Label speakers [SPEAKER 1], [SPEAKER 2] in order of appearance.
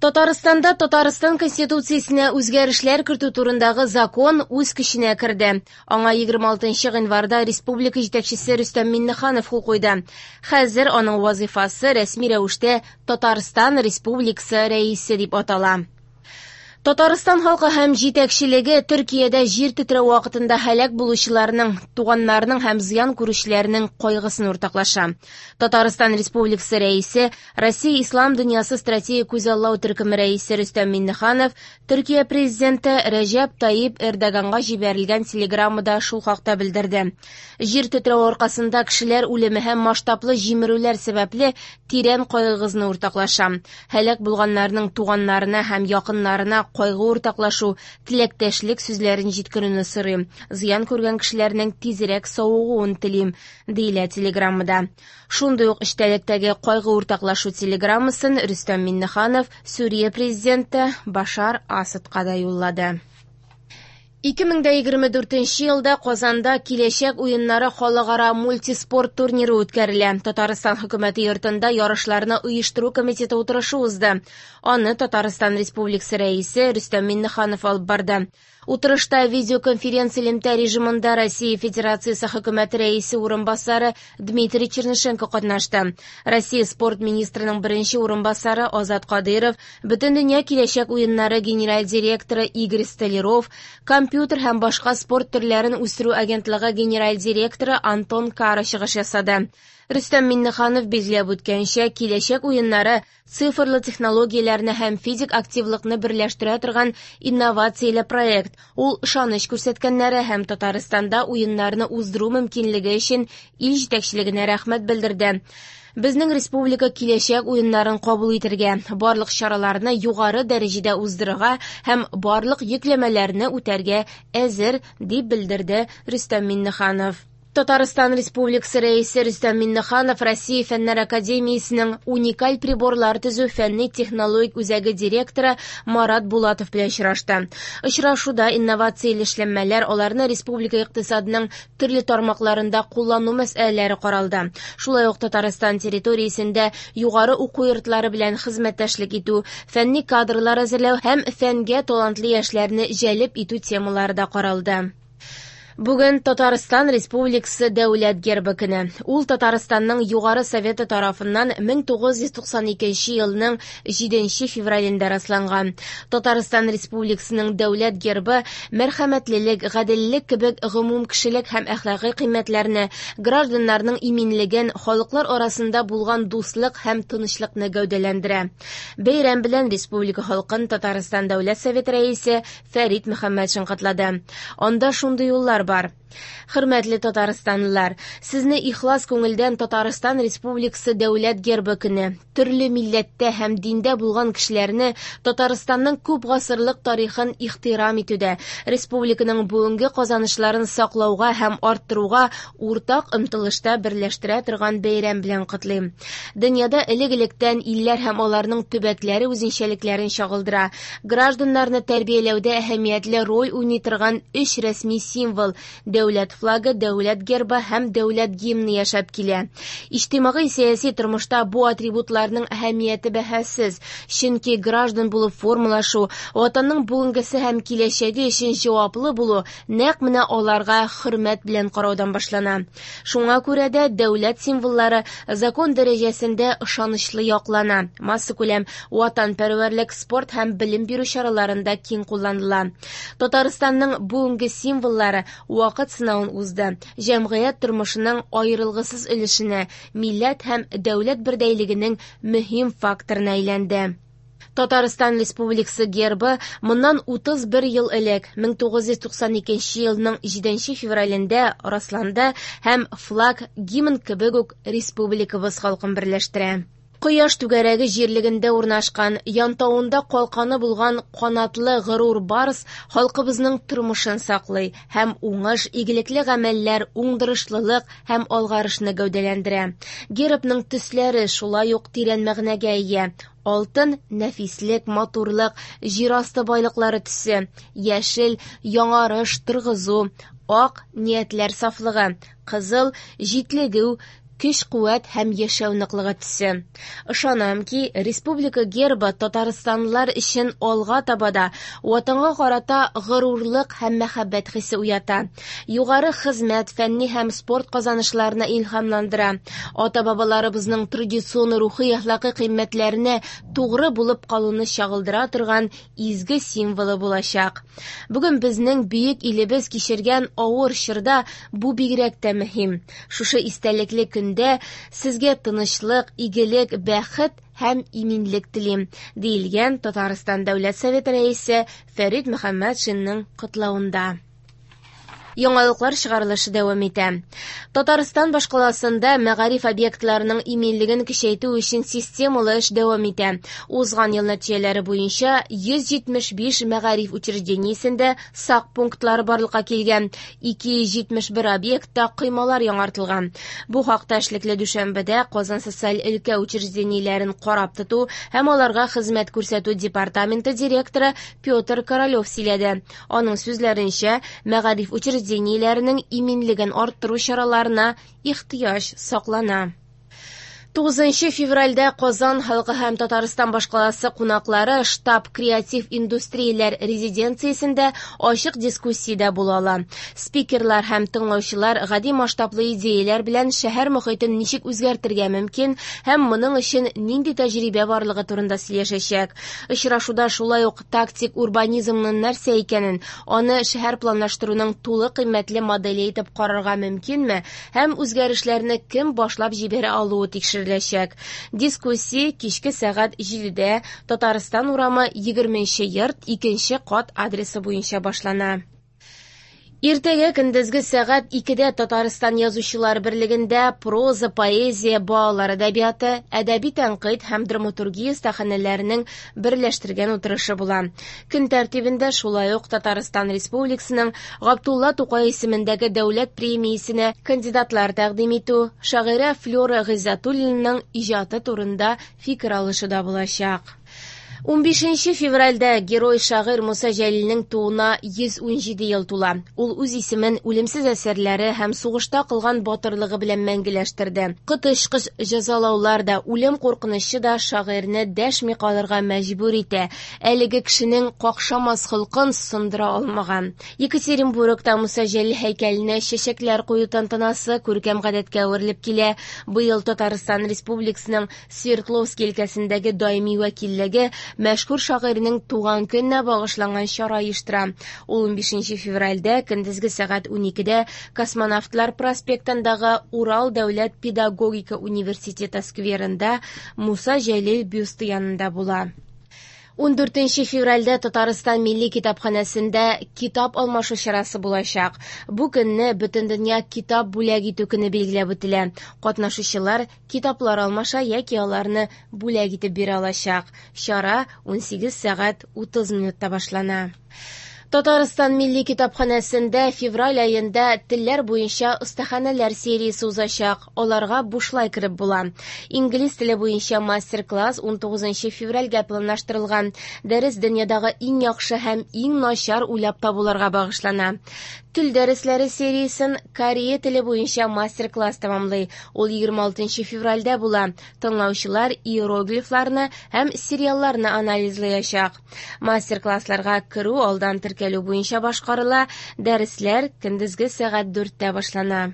[SPEAKER 1] Татарстанда Татарстан Конституциясенә үзгәрешләр кертү турындагы закон үз көченә керде. Аңа 26 гыйнварда республика җитәкчесе Рөстәм Миңнеханов кул куйды. Хәзер аның вазыйфасы рәсми рәвештә Татарстан Республикасы Рәисе дип атала. Татарстан халкы һәм җитәкчелеге Төркиядә җир тетрәү вакытында һәлак булучыларның, туганнарының һәм зыян күрүчеләрнең кайгысын уртаклаша. Татарстан Республикасы Рәисе, Россия Ислам дөньясы стратегик күзаллау төркеме рәисе Рөстәм Миңнеханов Төркия президенты Рәҗәп Тайип Эрдоганга җибәрелгән телеграммада шул хакта белдерде. Җир тетрәү аркасында кешеләр үлеме һәм масштаблы җимерүләр сәбәпле тирән кайгыгызны уртаклашам. Һәлак булганнарның туганнарына һәм якыннарына кайгы уртаклашу, теләктәшлек сүзләрен җиткерүне сорыйм. Зыян күргән кешеләрнең тизрәк савыгуын телим, диелә телеграммада. Шундый ук эчтәлектәге кайгы уртаклашу телеграммасын Рөстәм Миңнеханов Сүрия президенты Башар Асадка да юллады. 2024 елда Казанда Киләчәк уеннары халыкара мультиспорт турниры үткәрелә. Татарстан хөкүмәте йортында ярышларны оештыру комитеты утырышы узды. Аны Татарстан Республикасы Рәисе Рөстәм Миңнеханов алып барды. Утырышта видеоконференц элемтә режимында Россия Федерациясе хөкүмәте рәисе урынбасары Дмитрий Чернышенко катнашты. Россия спорт министрының беренче урынбасары Азат Кадыйров, Бөтендөнья киләчәк уеннары генераль директоры Игорь Столяров, компьютер һәм башка спорт төрләрен үстерү агентлыгы генераль директоры Антон Кара чыгыш ясады. Рөстәм Миңнеханов билгеләп үткәнчә, киләчәк уеннары цифрлы технологияләрне һәм физик активлыкны берләштерә торган инновацияле проект. Ул ышаныч күрсәткәннәре һәм Татарстанда уеннарны уздыру мөмкинлеге өчен ил җитәкчелегенә рәхмәт белдерде. Безнең республика киләчәк уеннарын кабул итергә, барлык чараларны югары дәрәҗәдә уздырырга һәм барлык йөкләмәләрне үтәргә әзер, дип белдерде Рөстәм Миңнеханов. Татарстан Республикасы Рәисе Рөстәм Миңнеханов Россия Фәннәр академиясенең уникаль приборлар төзү фәнни-технологик үзәге директоры Марат Булатов белән очрашты. Очрашуда инновацияле эшләнмәләр, аларны республика икътисадының төрле тармакларында куллану мәсьәләләре каралды. Шулай ук Татарстан территориясендә югары уку йортлары белән хезмәттәшлек итү, фәнни кадрлар әзерләү һәм фәнгә талантлы яшьләрне җәлеп итү темалары да каралды. Бүген Татарстан Республикасы Дәүләт гербы көне. Ул Татарстанның Югары Советы тарафыннан 1992 елның 7 февралендә расланган. Татарстан Республикасының Дәүләт гербы мәрхәмәтлелек, гаделлек кебек гомумкешелек һәм әхлакый кыйммәтләрне, гражданнарның иминлеген, халыклар арасында булган дуслык һәм тынычлыкны гәүдәләндерә. Бәйрәм белән республика халкын Татарстан Дәүләт Советы Рәисе Фәрит Мөхәммәтшин котлады. Анда шундый юллар бар. Хөрмәтле татарстанлылар, сезне ихлас күңелдән Татарстан Республикасы Дәүләт гербы көне, төрле милләттә һәм диндә булган кешеләрне Татарстанның күп гасырлык тарихын ихтирам итүдә, республиканың бүгенге казанышларын саклауга һәм арттыруга уртак омтылышта берләштерә торган бәйрәм белән котлыйм. Дөньяда элек-электән илләр һәм аларның төбәкләре үзенчәлекләрен чагылдыра. Гражданнарны тәрбияләүдә әһәмиятле роль уйный торган өч рәсми символ дәүләт флагы, дәүләт гербы һәм дәүләт гимны яшәп килә. Иҗтимагый сәяси тормышта бу атрибутларның әһәмияте бәһасез, чөнки граждан булып формалашу, ватанның бүгенгесе һәм киләчәге өчен җаваплы булу нәкъ менә аларга хөрмәт белән караудан башлана. Шуңа күрә дә дәүләт символлары закон дәрәҗәсендә ышанычлы яклана, массакүләм ватанпәрвәрлек, спорт һәм белем бирү чараларында киң кулланыла. Татарстанның бүгенге символлары вакыт сынавын узды, җәмгыять тормышының аерылгысыз өлешенә, милләт һәм дәүләт бердәйлегенең мөһим факторына әйләнде. Татарстан Республикасы гербы моннан 31 ел элек, 1992 елның 7 февралендә расланды һәм флаг, гимн кебек үк республикабыз халкын берләштерә. Кояш түгәрәге җирлегендә урнашкан, янтавында калканы булган канатлы горур барс халкыбызның тормышын саклый һәм уңыш, игелекле гамәлләр, уңдырышлылык һәм алгарышны гәүдәләндерә. Гербның төсләре шулай ук тирән мәгънәгә ия. Алтын нәфислек, матурлык, җир асты байлыклары төсе, яшел яңарыш, торгызу, ак ниятләр сафлыгы, кызыл җитлегү, көч-куәт һәм яшәү ныклыгы төсе. Ышанам ки, республика гербы татарстанлылар өчен алга таба да Ватанга карата горурлык һәм мәхәббәт хисе уята, югары хезмәт, фәнни һәм спорт казанышларына илһамландыра, ата-бабаларыбызның традицион рухи-әхлакый кыйммәтләренә тугры булып калуны чагылдыра торган изге символы булачак. Бүген безнең бөек илебез кичергән авыр чорда бу бигрәк тә мөһим. Шушы истәлекле көндә сезгә тынычлык, игелек, бәхет һәм иминлек телим, диелгән Татарстан Дәүләт Советы Рәисе Фәрит Мөхәммәтшинның котлавында. Яңалыклар чыгарылышы дәвам итә. Татарстан башкаласында мәгариф объектларының иминлеген көчәйтү өчен системалы эш дәвам итә. Узган ел нәтиҗәләре буенча 175 мәгариф учреждениесендә сак пунктлары барлыкка килгән, 271 объектта коймалар яңартылган. Бу хакта эшлекле дүшәмбедә Казан социаль өлкә учреждениеләрен карап тоту һәм аларга хезмәт күрсәтү департаменты директоры Петр Королев сөйләде. Аның сүзләренчә, мәгариф учреждениеләренең иминлеген арттыру чараларына ихтыяҗ саклана. 9 февральдә Казан халкы һәм Татарстан башкаласы кунаклары штаб креатив индустрияләр резиденциясендә ачык дискуссиядә була ала. Спикерлар һәм тыңлаучылар гади масштаблы идеяләр белән шәһәр мохитен ничек үзгәртергә мөмкин һәм моның өчен нинди тәҗрибә барлыгы турында сөйләшәчәк. Очрашуда шулай ук тактик урбанизмның нәрсә икәнен, аны шәһәр планлаштыруның тулы кыйммәтле моделе итеп карарга мөмкинме һәм үзгәрешләрне кем башлап җибәрә алуы тикшереләчәк. Дискуссия кичке сәгать 7-дә Татарстан урамы 20 йорт 2 кат адресы буенча башлана. Иртәгә көндезге сәгать 2-дә Татарстан Язучылар берлегендә проза, поэзия, балалар әдәбияты, әдәби тәнкыйть һәм драматургия остаханәләренең берләштергән утырышы була. Көн тәртибендә шулай ук Татарстан Республикасының Габдулла Тукай исемендәге дәүләт премиясенә кандидатлар тәкъдим итү, шагыйрә Флюра Гыйззәтуллинаның иҗаты турында фикер алышу да булачак. 15 февральдә герой шагыйрь Муса Җәлилнең тууына 117 ел тула. Ул үз исемен үлемсез әсәрләре һәм сугышта кылган батырлыгы белән мәңгеләштерде. Коточкыч җәзалаулар да, үлем куркынычы да шагыйрьне дәшми калырга мәҗбүр итә. Әлеге кешенең какшамас холкын сындыра алмаган. Екатеринбургта Муса Җәлил һәйкәленә чәчәкләр кую тантанасы күркәм гадәткә әверелеп килә. Быел Татарстан Республикасының Свердловск өлкәсендәге даими вәкиллеге мәшһүр шагыйрьнең туган көненә багышланган чара оештыра. Ул 15 февральдә көндезге сәгать 12-дә Космонавтлар проспектындагы Урал дәүләт педагогика университеты скверында Муса Җәлил бюсты янында була. 14 февральдә Татарстан Милли китапханәсендә китап алмашу чарасы булачак. Бу көнне Бөтендөнья китап бүләк итү көне билгеләп үтелә. Катнашучылар китаплар алмаша яки аларны бүләк итеп бирә алачак. Чара 18 сәгать 30 минутта башлана. Татарстан Милли китапханәсендә февраль аенда телләр буенча остаханәләр сериясе узачак. Аларга бушлай кереп була. Инглиз теле буенча мастер-класс 19 февральгә планлаштырылган. Дәрес дөньядагы иң яхшы һәм иң начар уйлап табуларга багышлана. Тел дәресләре сериясен корея теле буенча мастер-класс тәмамлый. Ул 26 февральдә була. Тыңлаучылар иероглифларны һәм сериалларны анализлаячак. Мастер-классларга керү алдан теркәлү буенча башкарыла. Дәресләр көндезге сәгать 4-тә башлана.